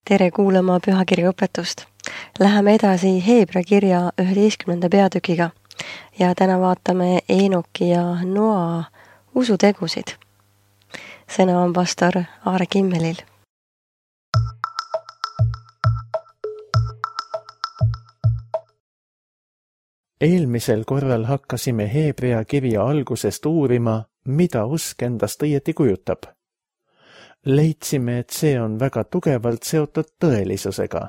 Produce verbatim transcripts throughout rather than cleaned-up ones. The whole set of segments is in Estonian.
Tere kuulama pühakirja õpetust. Läheme edasi Heebra kirja üheteistkümnenda peatükiga ja täna vaatame Eenoki ja Noa usutegusid. Sõna on pastor Aare Kimmelil. Eelmisel korral hakkasime Heebrea kirja algusest uurima, mida usk endast õieti kujutab. Leidsime, et see on väga tugevalt seotud tõelisusega.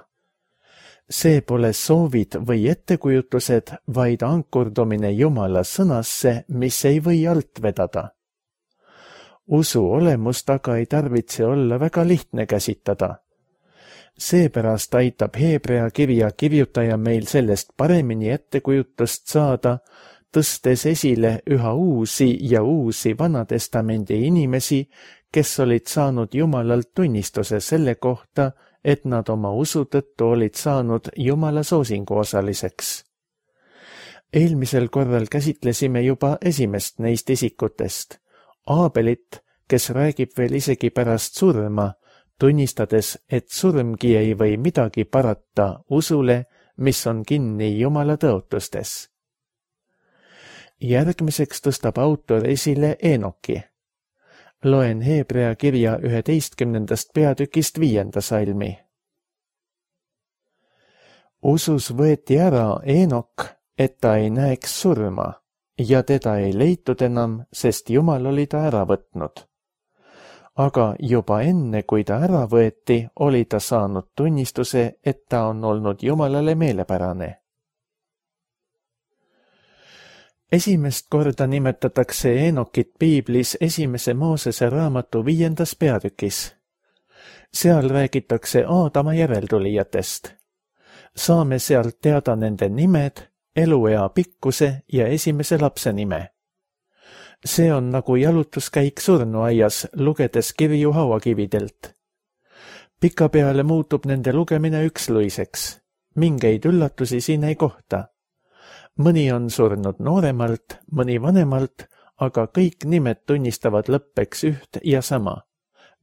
See pole soovid või ettekujutused, vaid ankurdumine Jumala sõnasse, mis ei või alt vedada. Usu olemust aga ei tarvitse olla väga lihtne käsitada. Seepärast aitab Heebrea kirja kirjutaja meil sellest paremini ettekujutust saada, tõstes esile üha uusi ja uusi Vanatestamendi inimesi, kes olid saanud Jumalalt tunnistuse selle kohta, et nad oma usu tõttu olid saanud Jumala soosingu osaliseks. Eelmisel korral käsitlesime juba esimest neist isikutest, Aabelit, kes räägib veel isegi pärast surma, tunnistades, et surmgi ei või midagi parata usule, mis on kinni Jumala tõotustes. Järgmiseks tõstab autor esile Eenoki. Loen Heebrea kirja üheteistkümnendast peatükist viienda salmi. Usus võeti ära Eenok, et ta ei näeks surma, ja teda ei leitud enam, sest Jumal oli ta ära võtnud. Aga juba enne, kui ta ära võeti, oli ta saanud tunnistuse, et ta on olnud Jumalale meelepärane. Esimest korda nimetatakse Eenokit piiblis esimese Moosese raamatu viiendas peatükis. Seal räägitakse Aadama järeltulijatest. Saame sealt teada nende nimed, eluea pikkuse ja esimese lapse nime. See on nagu jalutuskäik surnuaias, lugedes kirju hauakividelt. Pikapeale muutub nende lugemine üksluiseks. Mingeid üllatusi siin ei kohta. Mõni on surnud nooremalt, mõni vanemalt, aga kõik nimed tunnistavad lõppeks üht ja sama.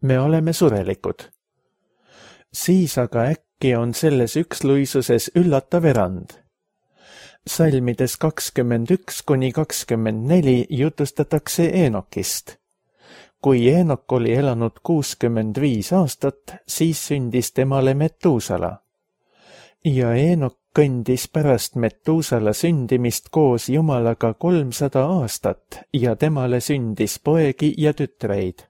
Me oleme surelikud. Siis aga äkki on selles üksluisuses üllatav erand. Salmides kakskümmend üks kuni kakskümmend neli jutustatakse Eenokist. Kui Eenok oli elanud kuuskümmend viis aastat, siis sündis temale Metuusala. Ja Eenok kõndis pärast Metuusala sündimist koos Jumalaga kolmsada aastat ja temale sündis poegi ja tütreid.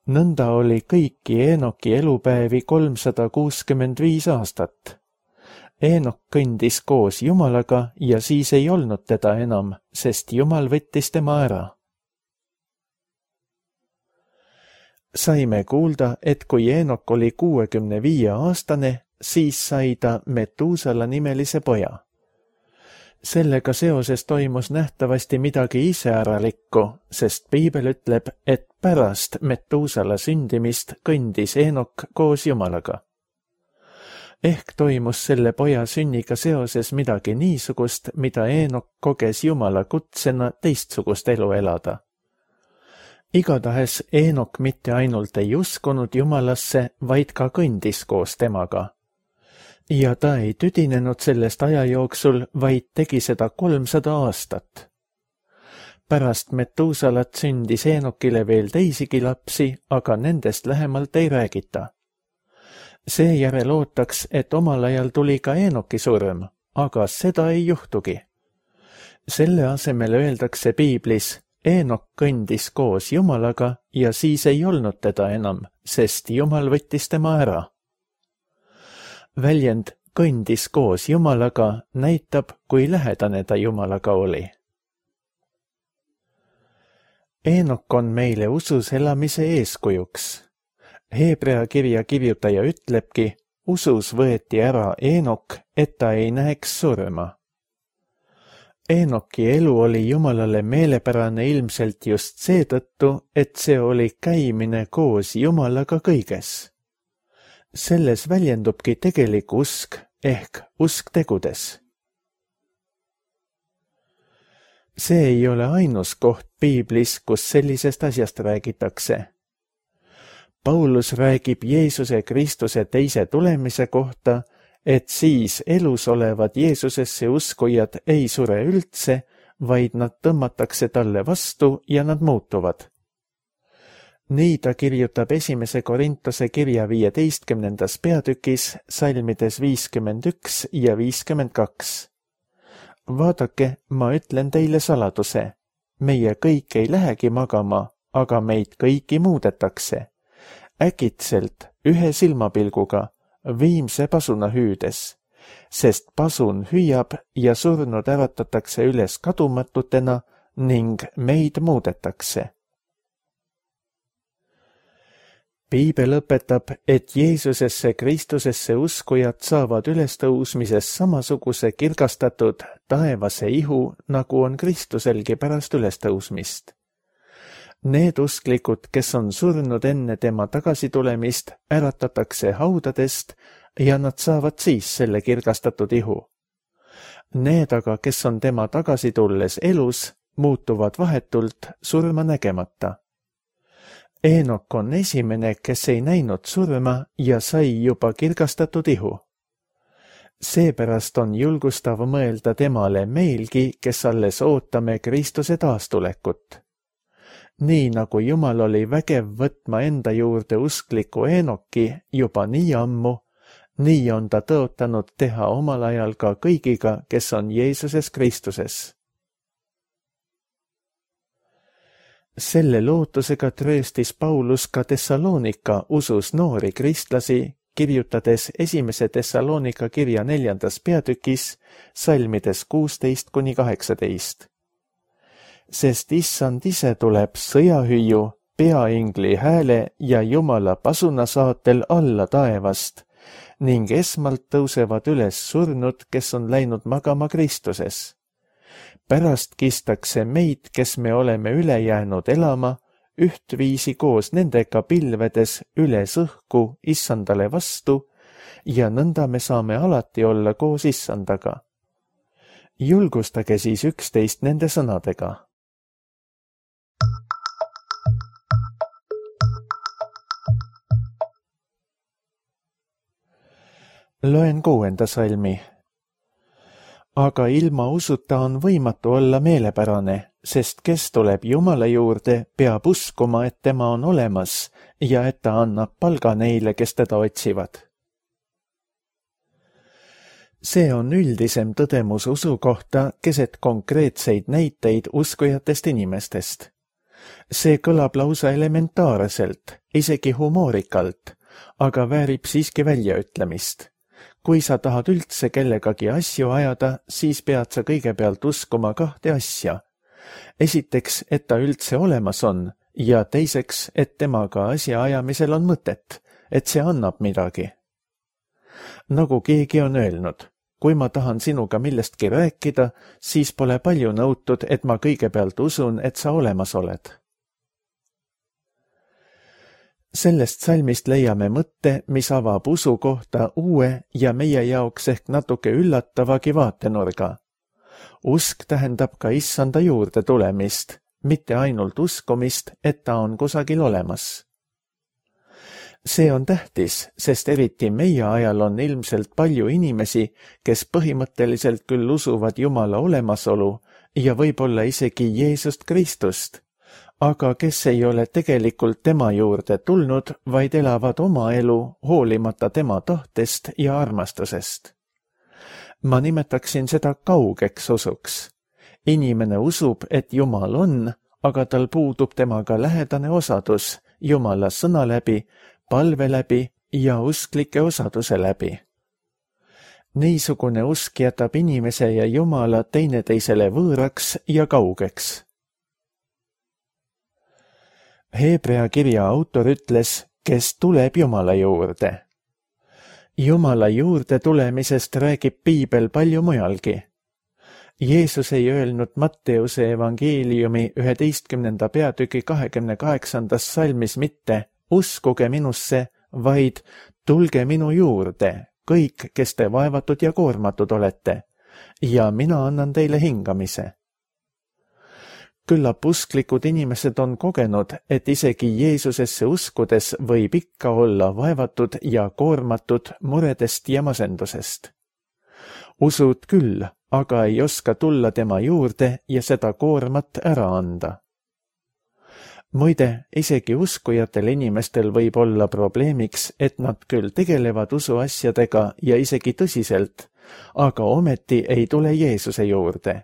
Nõnda oli kõiki Eenoki elupäevi kolmsada kuuskümmend viis aastat. Eenok kõndis koos Jumalaga ja siis ei olnud teda enam, sest Jumal võttis tema ära. Saime kuulda, et kui Eenok oli kuuekümne viie aastane, siis sai ta Metuusala nimelise poja. Sellega seoses toimus nähtavasti midagi iseäralikku, sest piibel ütleb, et pärast Metuusala sündimist kõndis Eenok koos Jumalaga. Ehk toimus selle poja sünniga seoses midagi niisugust, mida Eenok koges Jumala kutsena teistsugust elu elada. Igatahes Eenok mitte ainult ei uskunud Jumalasse, vaid ka kõndis koos temaga. Ja ta ei tüdinenud sellest aja jooksul, vaid tegi seda kolmsada aastat. Pärast Metuusalat sündis Eenokile veel teisigi lapsi, aga nendest lähemalt ei räägita. Seejärel ootaks, et omal ajal tuli ka Eenoki surm, aga seda ei juhtugi. Selle asemel öeldakse piiblis, Eenok kõndis koos Jumalaga ja siis ei olnud teda enam, sest Jumal võttis tema ära. Väljend kõndis koos Jumalaga näitab, kui lähedane ta Jumalaga oli. Eenok on meile usus elamise eeskujuks. Heebrea kirja kirjutaja ütlebki, usus võeti ära Eenok, et ta ei näeks surma. Eenoki elu oli Jumalale meelepärane ilmselt just seetõttu, et see oli käimine koos Jumalaga kõiges. Selles väljendubki tegelik usk ehk usk tegudes. See ei ole ainus koht piiblis, kus sellisest asjast räägitakse. Paulus räägib Jeesuse Kristuse teise tulemise kohta, et siis elus olevad Jeesusesse uskujad ei sure üldse, vaid nad tõmmatakse talle vastu ja nad muutuvad. Nii ta kirjutab esimese Korintuse kirja viieteistkümnendas peatükis salmides viiskümmend üks ja viiskümmend kaks. Vaadake, ma ütlen teile saladuse. Meie kõik ei lähegi magama, aga meid kõiki muudetakse. Äkitselt, ühe silmapilguga, viimse pasuna hüüdes, sest pasun hüüab ja surnud äratatakse üles kadumatutena ning meid muudetakse. Piibel õpetab, et Jeesusesse Kristusesse uskujad saavad ülestõusmises samasuguse kirgastatud taevase ihu, nagu on Kristuselgi pärast ülestõusmist. Need usklikud, kes on surnud enne tema tagasitulemist, äratatakse haudadest ja nad saavad siis selle kirgastatud ihu. Need aga, kes on tema tagasitulles elus, muutuvad vahetult surma nägemata. Eenok on esimene, kes ei näinud surma ja sai juba kirgastatud ihu. Seepärast on julgustav mõelda temale meilgi, kes alles ootame Kristuse taastulekut. Nii nagu Jumal oli vägev võtma enda juurde uskliku Eenoki juba nii ammu, nii on ta tõotanud teha omal ajal ka kõigiga, kes on Jeesuses Kristuses. Selle lootusega trööstis Paulus ka Thessalonika usus noori kristlasi, kirjutades esimese Thessalonika kirja neljandas peatükis, salmides kuusteist kuni kaheksateist. Sest issand ise tuleb sõjahüüu, peaingli hääle ja Jumala pasuna saatel alla taevast ning esmalt tõusevad üles surnud, kes on läinud magama Kristuses. Pärast kistakse meid, kes me oleme üle jäänud elama, ühtviisi koos nendega pilvedes üles õhku issandale vastu ja nõnda me saame alati olla koos issandaga. Julgustage siis üksteist nende sõnadega. Loen kuuenda salmi. Aga ilma usuta on võimatu olla meelepärane, sest kes tuleb Jumala juurde, peab uskuma, et tema on olemas ja et ta annab palga neile, kes teda otsivad. See on üldisem tõdemus usu kohta keset konkreetseid näiteid uskujatest inimestest. See kõlab lausa elementaarselt, isegi humoorikalt, aga väärib siiski väljaütlemist. Kui sa tahad üldse kellegagi asju ajada, siis pead sa kõigepealt uskuma kahte asja. Esiteks, et ta üldse olemas on ja teiseks, et temaga asja ajamisel on mõtet, et see annab midagi. Nagu keegi on öelnud, kui ma tahan sinuga millestki rääkida, siis pole palju nõutud, et ma kõigepealt usun, et sa olemas oled. Sellest salmist leiame mõtte, mis avab usu kohta uue ja meie jaoks ehk natuke üllatavagi vaatenurga. Usk tähendab ka issanda juurde tulemist, mitte ainult uskumist, et ta on kusagil olemas. See on tähtis, sest eriti meie ajal on ilmselt palju inimesi, kes põhimõtteliselt küll usuvad Jumala olemasolu ja võib-olla isegi Jeesust Kristust, aga kes ei ole tegelikult tema juurde tulnud, vaid elavad oma elu hoolimata tema tahtest ja armastusest. Ma nimetaksin seda kaugeks usuks. Inimene usub, et Jumal on, aga tal puudub temaga lähedane osadus Jumala sõna läbi, palve läbi ja usklike osaduse läbi. Niisugune usk jätab inimese ja Jumala teineteisele võõraks ja kaugeks. Hebrea kirja autor ütles, kes tuleb Jumala juurde. Jumala juurde tulemisest räägib Piibel palju mujalgi. Jeesus ei öelnud Matteuse evangeeliumi üheteistkümnenda peatüki kahekümne kaheksandas salmis mitte uskuge minusse, vaid tulge minu juurde, kõik, kes te vaevatud ja koormatud olete, ja mina annan teile hingamise. Küllap usklikud inimesed on kogenud, et isegi Jeesusesse uskudes võib ikka olla vaevatud ja koormatud muredest ja masendusest. Usud küll, aga ei oska tulla tema juurde ja seda koormat ära anda. Muide, isegi uskujatel inimestel võib olla probleemiks, et nad küll tegelevad usuasjadega ja isegi tõsiselt, aga ometi ei tule Jeesuse juurde.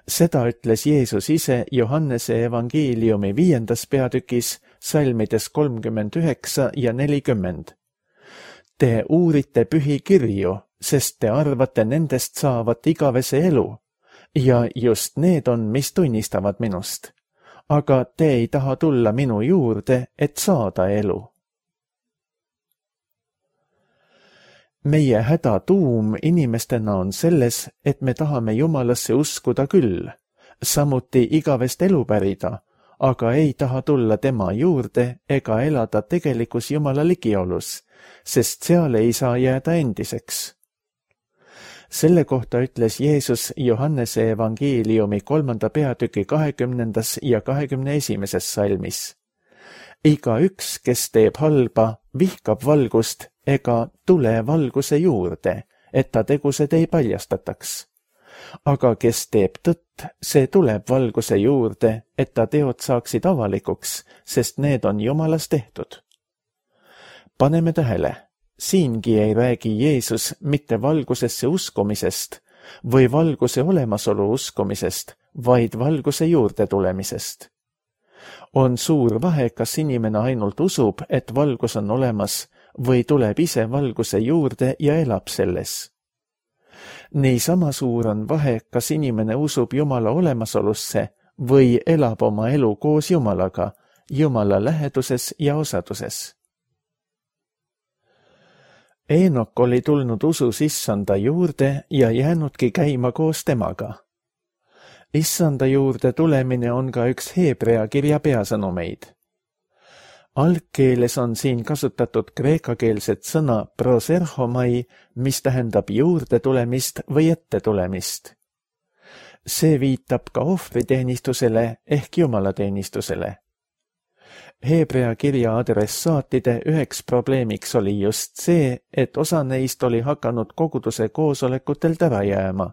Seda ütles Jeesus ise Johannese evangeeliumi viiendas peatükis, salmides kolmkümmend üheksa ja nelikümmend. Te uurite pühi kirju, sest te arvate nendest saavat igavese elu, ja just need on, mis tunnistavad minust. Aga te ei taha tulla minu juurde, et saada elu. Meie häda tuum inimestena on selles, et me tahame Jumalasse uskuda küll, samuti igavest elu pärida, aga ei taha tulla tema juurde ega elada tegelikus Jumala ligiolus, sest seal ei saa jääda endiseks. Selle kohta ütles Jeesus Johannese evangeeliumi kolmanda peatüki kahekümnendas ja kahekümne esimeses salmis. Iga üks, kes teeb halba, vihkab valgust ega tule valguse juurde, et ta tegused ei paljastataks. Aga kes teeb tõtt, see tuleb valguse juurde, et ta teod saaksid avalikuks, sest need on Jumalas tehtud. Paneme tähele, siingi ei räägi Jeesus mitte valgusesse uskumisest või valguse olemasolu uskumisest, vaid valguse juurde tulemisest. On suur vahe, kas inimene ainult usub, et valgus on olemas, või tuleb ise valguse juurde ja elab selles. Niisama suur on vahe, kas inimene usub Jumala olemasolusse või elab oma elu koos Jumalaga, Jumala läheduses ja osaduses. Eenok oli tulnud usus issanda juurde ja jäänudki käima koos temaga. Issanda juurde tulemine on ka üks Heebrea kirja peasõnumeid. Algkeeles on siin kasutatud kreekakeelset sõna proserhomai, mis tähendab juurde tulemist või ette tulemist. See viitab ka ohvriteenistusele ehk jumalateenistusele. Heebrea kirja adressaatide üheks probleemiks oli just see, et osa neist oli hakanud koguduse koosolekutelt ära jääma.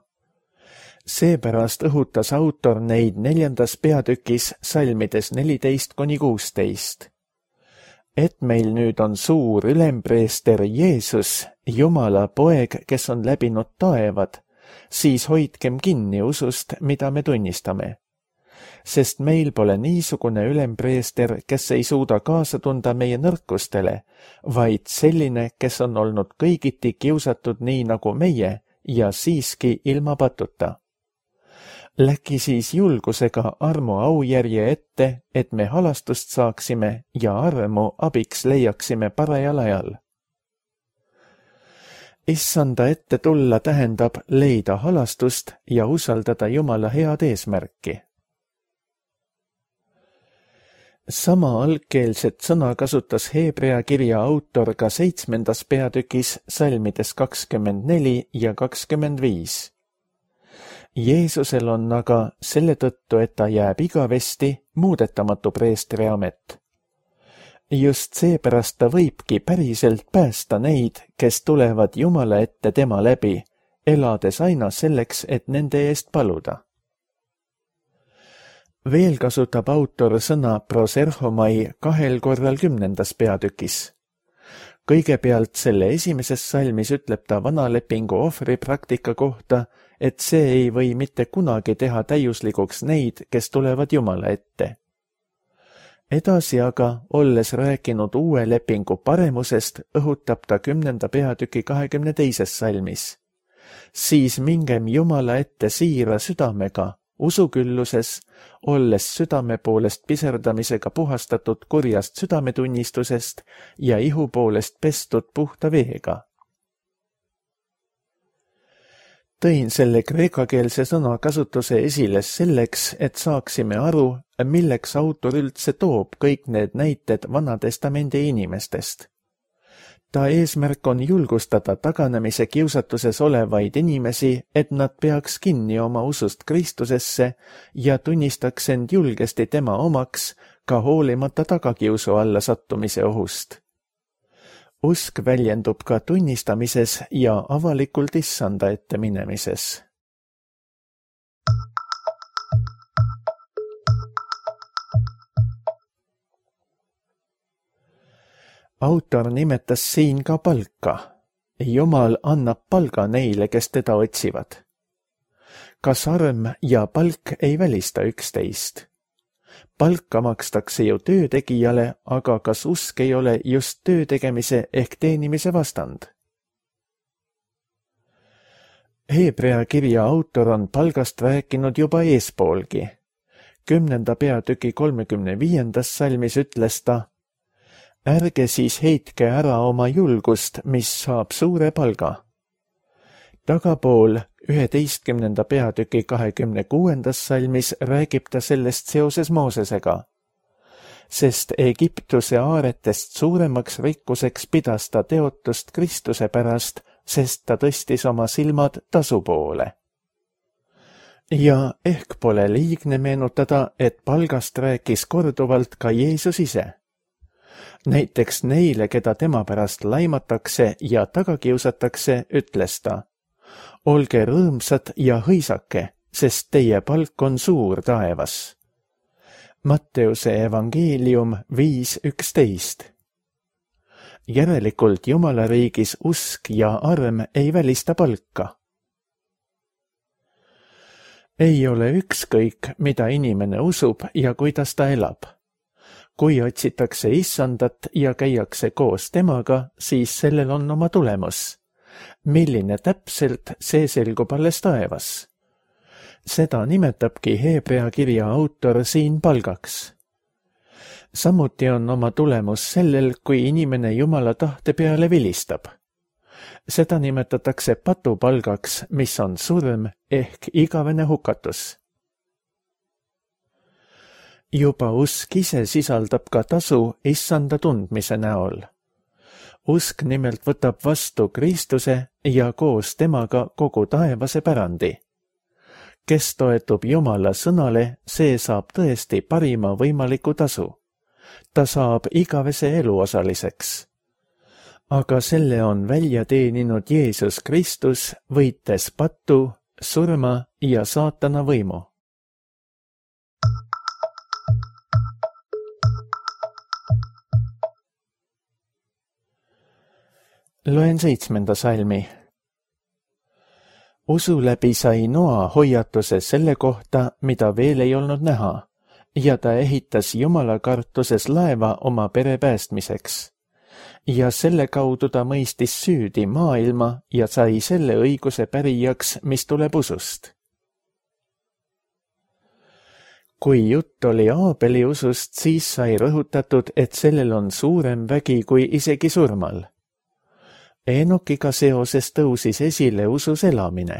Seepärast õhutas autor neid neljandas peatükis salmides neliteist kuni kuusteist. Et meil nüüd on suur ülempreester Jeesus, Jumala poeg, kes on läbinud taevad, siis hoidkem kinni usust, mida me tunnistame. Sest meil pole niisugune ülempreester, kes ei suuda kaasa tunda meie nõrkustele, vaid selline, kes on olnud kõigiti kiusatud nii nagu meie ja siiski ilma patuta. Läki siis julgusega armu aujärje ette, et me halastust saaksime ja armu abiks leiaksime parajal ajal. Issanda ette tulla tähendab leida halastust ja usaldada Jumala head eesmärki. Sama algkeelset sõna kasutas Heebrea kirja autor ka seitsmendas peatükis salmides kakskümmend neli ja kakskümmend viis. Jeesusel on aga selle tõttu, et ta jääb igavesti muudetamatu preestri amet. Just seepärast ta võibki päriselt päästa neid, kes tulevad Jumala ette tema läbi, elades aina selleks, et nende eest paluda. Veel kasutab autor sõna proserhomai kahel korral kümnendas peatükis. Kõigepealt selle esimeses salmis ütleb ta vanalepingu ohvripraktika kohta, et see ei või mitte kunagi teha täiuslikuks neid, kes tulevad Jumala ette. Edasi aga, olles rääkinud uue lepingu paremusest, õhutab ta kümnenda peatüki kahekümne teises salmis. Siis mingem Jumala ette siira südamega, usukülluses, olles südame poolest piserdamisega puhastatud kurjast südametunnistusest ja ihu poolest pestud puhta veega. Tõin selle kreekakeelse sõna kasutuse esile selleks, et saaksime aru, milleks autor üldse toob kõik need näited Vanatestamendi inimestest. ta eesmärk on julgustada taganemise kiusatuses olevaid inimesi, et nad peaks kinni oma usust Kristusesse ja tunnistaks end julgesti tema omaks, ka hoolimata tagakiusu alla sattumise ohust. Usk väljendub ka tunnistamises ja avalikult issanda ette minemises. Autor nimetas siin ka palka. Jumal annab palga neile, kes teda otsivad. Kas arm ja palk ei välista üksteist? Palka makstakse ju töötegijale, aga kas usk ei ole just töötegemise ehk teenimise vastand? Heebrea kirja autor on palgast rääkinud juba eespoolgi. Kümnenda peatüki kolmekümne viiendas salmis ütles ta: ärge siis heitke ära oma julgust, mis saab suure palga. Tagapool üheteistkümnenda peatüki kahekümne kuuendas salmis räägib ta sellest seoses Moosesega. Sest Egiptuse aaretest suuremaks rikkuseks pidas ta teotust Kristuse pärast, sest ta tõstis oma silmad tasu poole. Ja ehk pole liigne meenutada, et palgast rääkis korduvalt ka Jeesus ise. Näiteks neile, keda tema pärast laimatakse ja tagakiusatakse, ütles ta: olge rõõmsad ja hõisake, sest teie palk on suur taevas. Matteuse evangeelium viis üksteist. Järelikult Jumala riigis usk ja arm ei välista palka. Ei ole ükskõik, mida inimene usub ja kuidas ta elab. Kui otsitakse issandat ja käiakse koos temaga, siis sellel on oma tulemus. Milline täpselt, see selgub alles taevas. Seda nimetabki Heebrea kirja autor siin palgaks. Samuti on oma tulemus sellel, kui inimene Jumala tahte peale vilistab. Seda nimetatakse patupalgaks, mis on surm ehk igavene hukatus. Juba usk ise sisaldab ka tasu issanda tundmise näol. Usk nimelt võtab vastu Kristuse ja koos temaga kogu taevase pärandi. Kes toetub Jumala sõnale, see saab tõesti parima võimaliku tasu. Ta saab igavese elu osaliseks. Aga selle on välja teeninud Jeesus Kristus, võites patu, surma ja saatana võimu. Loen seitsmenda salmi. Usu läbi sai Noa hoiatuse selle kohta, mida veel ei olnud näha, ja ta ehitas Jumala kartuses laeva oma pere päästmiseks. Ja selle kaudu ta mõistis süüdi maailma ja sai selle õiguse pärijaks, mis tuleb usust. Kui jutt oli Aabeli usust, siis sai rõhutatud, et sellel on suurem vägi kui isegi surmal. Enokiga seoses tõusis esile usus elamine.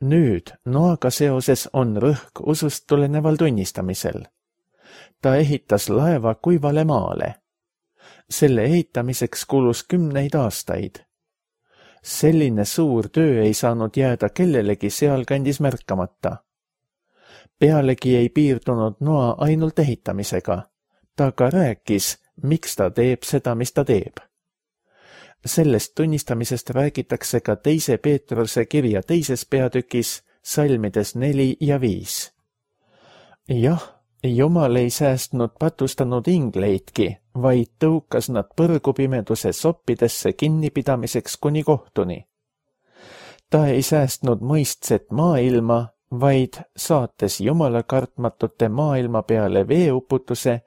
Nüüd Noaga seoses on rõhk usust tuleneval tunnistamisel. Ta ehitas laeva kuivale maale. Selle ehitamiseks kulus kümneid aastaid. Selline suur töö ei saanud jääda kellelegi sealkandis märkamata. Pealegi ei piirdunud Noa ainult ehitamisega. Ta ka rääkis, miks ta teeb seda, mis ta teeb. Sellest tunnistamisest räägitakse ka teise Peetruse kirja teises peatükis, salmides neli ja viis. Jah, Jumal ei säästnud patustanud ingleidki, vaid tõukas nad põrgupimeduse soppidesse kinnipidamiseks kuni kohtuni. Ta ei säästnud mõistset maailma, vaid saates Jumala kartmatute maailma peale veeuputuse,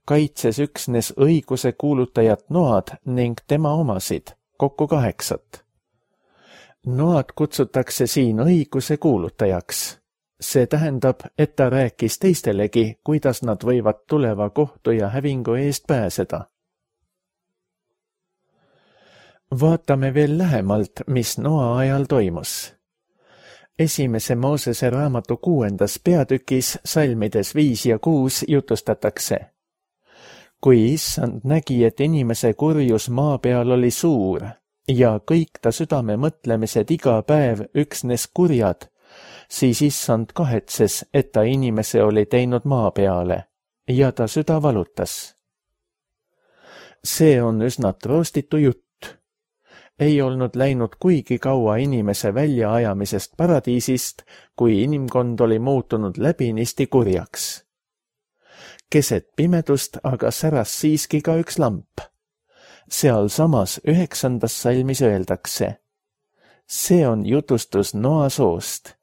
kaitses üksnes õiguse kuulutajat Noad ning tema omasid, kokku kaheksat. Noad kutsutakse siin õiguse kuulutajaks. See tähendab, et ta rääkis teistelegi, kuidas nad võivad tuleva kohtu ja hävingu eest pääseda. Vaatame veel lähemalt, mis Noa ajal toimus. Esimese Moosese raamatu kuuendas peatükis, salmides viis ja kuus jutustatakse. kui issand nägi, et inimese kurjus maa peal oli suur ja kõik ta südame mõtlemised iga päev üksnes kurjad, siis issand kahetses, et ta inimese oli teinud maa peale ja ta süda valutas. See on üsna troostitu jutt. Ei olnud läinud kuigi kaua inimese väljaajamisest paradiisist, kui inimkond oli muutunud läbinisti kurjaks. Keset pimedust aga säras siiski ka üks lamp. Seal samas üheksandas salmis öeldakse. See on jutustus Noa soost.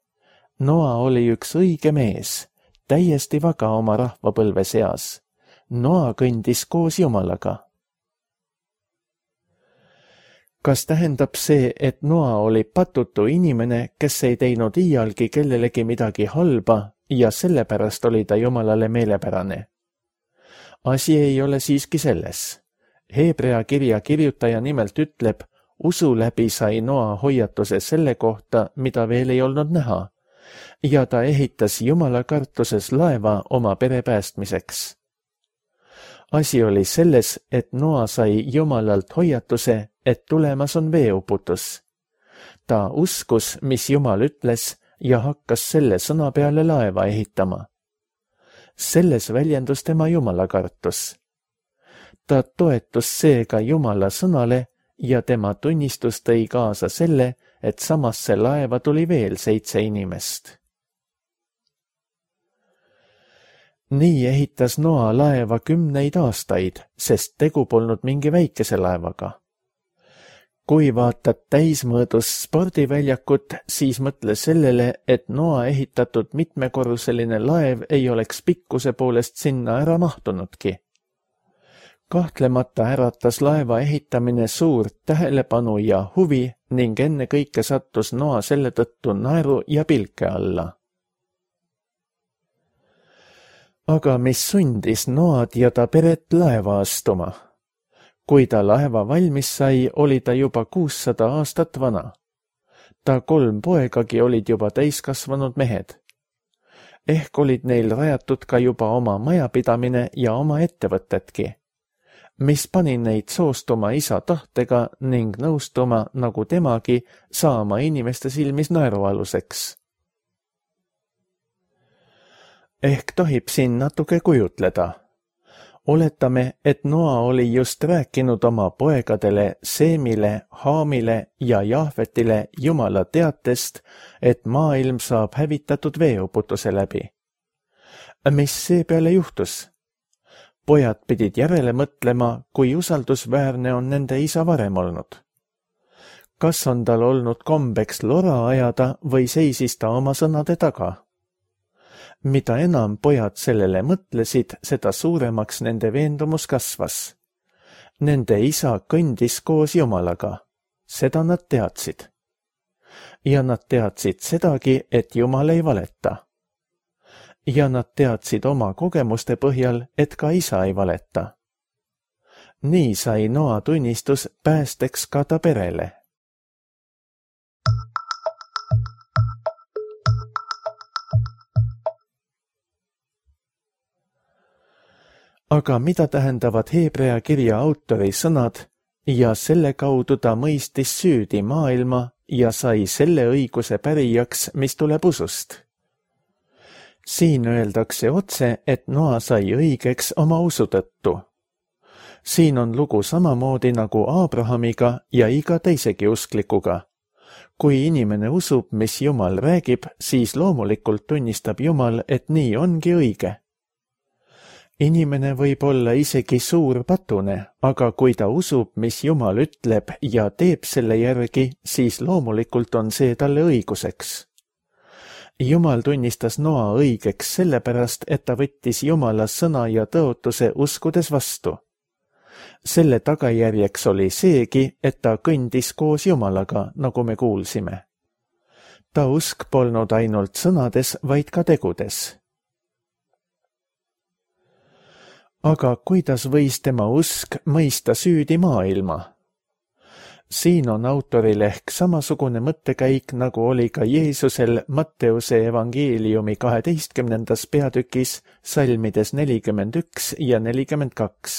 Noa oli üks õige mees, täiesti vaga oma rahvapõlve seas. Noa kõndis koos Jumalaga. Kas tähendab see, et Noa oli patutu inimene, kes ei teinud iialgi kellelegi midagi halba ja sellepärast oli ta Jumalale meelepärane? Asi ei ole siiski selles. Hebrea kirja kirjutaja nimelt ütleb, usu läbi sai Noa hoiatuse selle kohta, mida veel ei olnud näha, ja ta ehitas Jumala kartuses laeva oma pere päästmiseks. Asi oli selles, et Noa sai Jumalalt hoiatuse, et tulemas on veeuputus. Ta uskus, mis Jumal ütles, ja hakkas selle sõna peale laeva ehitama. Selles väljendus tema Jumala kartus. Ta toetus seega Jumala sõnale ja tema tunnistus tõi kaasa selle, et samasse laeva tuli veel seitse inimest. Nii ehitas Noa laeva kümneid aastaid, sest tegu polnud mingi väikese laevaga. Kui vaatad täismõõdus spordiväljakut, siis mõtle sellele, et Noa ehitatud mitmekorruseline laev ei oleks pikkuse poolest sinna ära mahtunudki. Kahtlemata äratas laeva ehitamine suurt tähelepanu ja huvi ning enne kõike sattus Noa selle tõttu naeru ja pilke alla. Aga mis sundis Noad ja ta peret laeva astuma? Kui ta laeva valmis sai, oli ta juba kuussada aastat vana. Ta kolm poegagi olid juba täiskasvanud mehed. Ehk olid neil rajatud ka juba oma majapidamine ja oma ettevõtetki, mis pani neid soostuma isa tahtega ning nõustuma nagu temagi saama inimeste silmis naerualuseks. Ehk tohib siin natuke kujutleda. Oletame, et Noa oli just rääkinud oma poegadele Seemile, Haamile ja Jahvetile Jumala teatest, et maailm saab hävitatud veeuputuse läbi. Mis seepeale juhtus? Pojad pidid järele mõtlema, kui usaldusväärne on nende isa varem olnud. Kas on tal olnud kombeks lora ajada või seisis ta oma sõnade taga? Mida enam pojad sellele mõtlesid, seda suuremaks nende veendumus kasvas. Nende isa kõndis koos Jumalaga. Seda nad teadsid. Ja nad teadsid sedagi, et Jumal ei valeta. Ja nad teadsid oma kogemuste põhjal, et ka isa ei valeta. Nii sai Noa tunnistus päästeks ka ta perele. Aga mida tähendavad Hebrea kirja autori sõnad ja selle kaudu ta mõistis süüdi maailma ja sai selle õiguse pärijaks, mis tuleb usust? Siin öeldakse otse, et Noa sai õigeks oma usu tõttu. Siin on lugu samamoodi nagu Abrahamiga ja iga teisegi usklikuga. Kui inimene usub, mis Jumal räägib, siis loomulikult tunnistab Jumal, et nii ongi õige. Inimene võib olla isegi suur patune, aga kui ta usub, mis Jumal ütleb ja teeb selle järgi, siis loomulikult on see talle õiguseks. Jumal tunnistas Noa õigeks sellepärast, et ta võttis Jumala sõna ja tõotuse uskudes vastu. Selle tagajärjeks oli seegi, et ta kõndis koos Jumalaga, nagu me kuulsime. Ta usk polnud ainult sõnades, vaid ka tegudes. Aga kuidas võis tema usk mõista süüdi maailma? Siin on autoril ehk samasugune mõttekäik, nagu oli ka Jeesusel Matteuse evangeeliumi kaheteistkümnendas peatükis salmides nelikümmend üks ja nelikümmend kaks.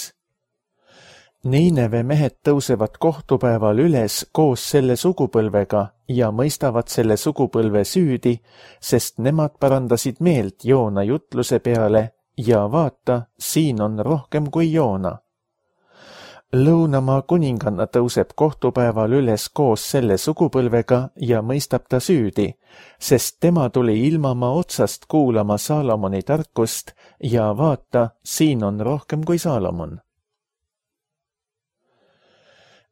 Niineve mehed tõusevad kohtupäeval üles koos selle sugupõlvega ja mõistavad selle sugupõlve süüdi, sest nemad parandasid meelt Joona jutluse peale ja vaata, siin on rohkem kui Joona. Lõunamaa kuninganna tõuseb kohtupäeval üles koos selle sugupõlvega ja mõistab ta süüdi, sest tema tuli ilmamaa otsast kuulama Saalomoni tarkust ja vaata, siin on rohkem kui Saalomon.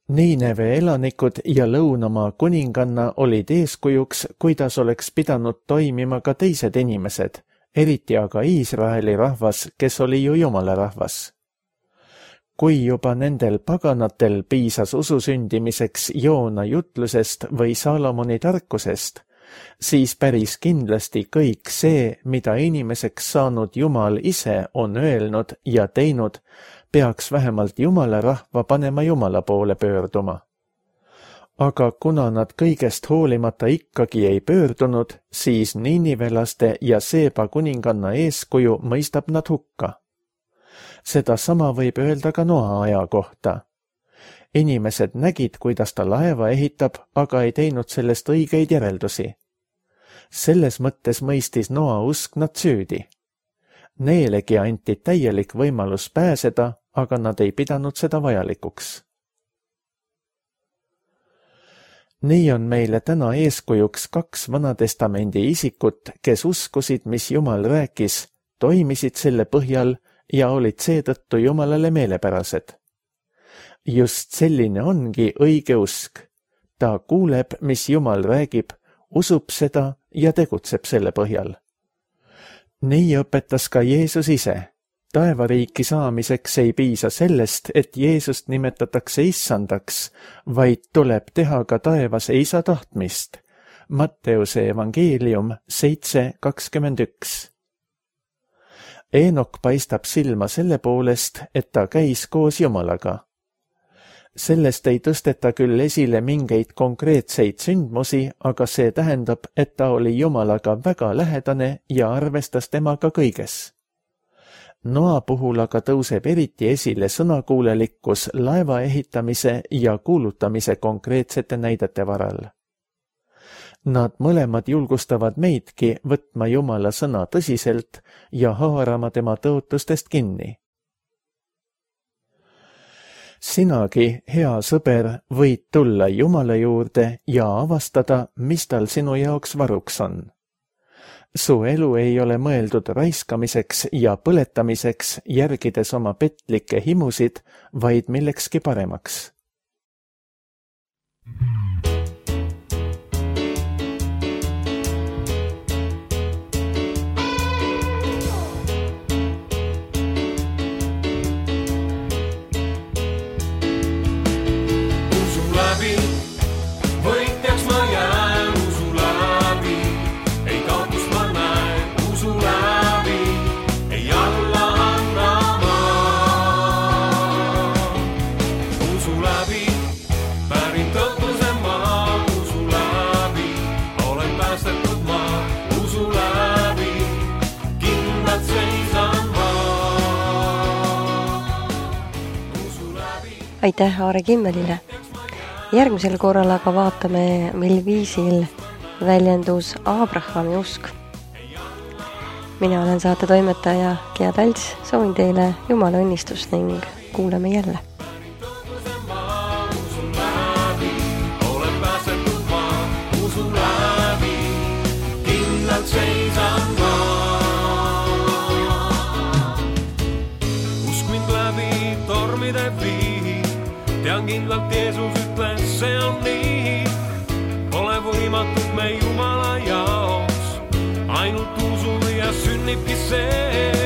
Niineve elanikud ja Lõunamaa kuninganna olid eeskujuks, kuidas oleks pidanud toimima ka teised inimesed, eriti aga Iisraeli rahvas, kes oli ju Jumala rahvas. Kui juba nendel paganatel piisas usu sündimiseks Joona jutlusest või Saalomoni tarkusest, siis päris kindlasti kõik see, mida inimeseks saanud Jumal ise on öelnud ja teinud, peaks vähemalt Jumala rahva panema Jumala poole pöörduma. Aga kuna nad kõigest hoolimata ikkagi ei pöördunud, siis niinivelaste ja Seeba kuninganna eeskuju mõistab nad hukka. Seda sama võib öelda ka Noa aja kohta. Inimesed nägid, kuidas ta laeva ehitab, aga ei teinud sellest õigeid järeldusi. Selles mõttes mõistis Noa usk nad süüdi. Neelegi anti täielik võimalus pääseda, aga nad ei pidanud seda vajalikuks. Nii on meile täna eeskujuks kaks Vanatestamendi isikut, kes uskusid, mis Jumal rääkis, toimisid selle põhjal ja olid seetõttu Jumalale meelepärased. Just selline ongi õige usk. Ta kuuleb, mis Jumal räägib, usub seda ja tegutseb selle põhjal. Nii õpetas ka Jeesus ise. Taevariiki saamiseks ei piisa sellest, et Jeesust nimetatakse issandaks, vaid tuleb teha ka taevas isa tahtmist. Matteuse evangeelium seitse kakskümmend üks. Eenok paistab silma selle poolest, et ta käis koos Jumalaga. Sellest ei tõsteta küll esile mingeid konkreetseid sündmusi, aga see tähendab, et ta oli Jumalaga väga lähedane ja arvestas temaga kõiges. Noa puhul aga tõuseb eriti esile sõnakuulelikkus laeva ehitamise ja kuulutamise konkreetsete näidete varal. Nad mõlemad julgustavad meidki võtma Jumala sõna tõsiselt ja haarama tema tõotustest kinni. Sinagi, hea sõber, võid tulla Jumala juurde ja avastada, mis tal sinu jaoks varuks on. Su elu ei ole mõeldud raiskamiseks ja põletamiseks, järgides oma petlikke himusid, vaid millekski paremaks. Aitäh Aare Kimmelile. Järgmisel korral aga vaatame, mil viisil väljendus Abrahami usk. Mina olen saate toimetaja Gea Talts, soovin teile Jumala õnnistust ning kuuleme jälle. Usk mind läbi tormide vii. Tean kindlalt Jeesus ütles, see on nii. Pole võimatud me Jumala jaoks, ainult usu ja sünnibki see.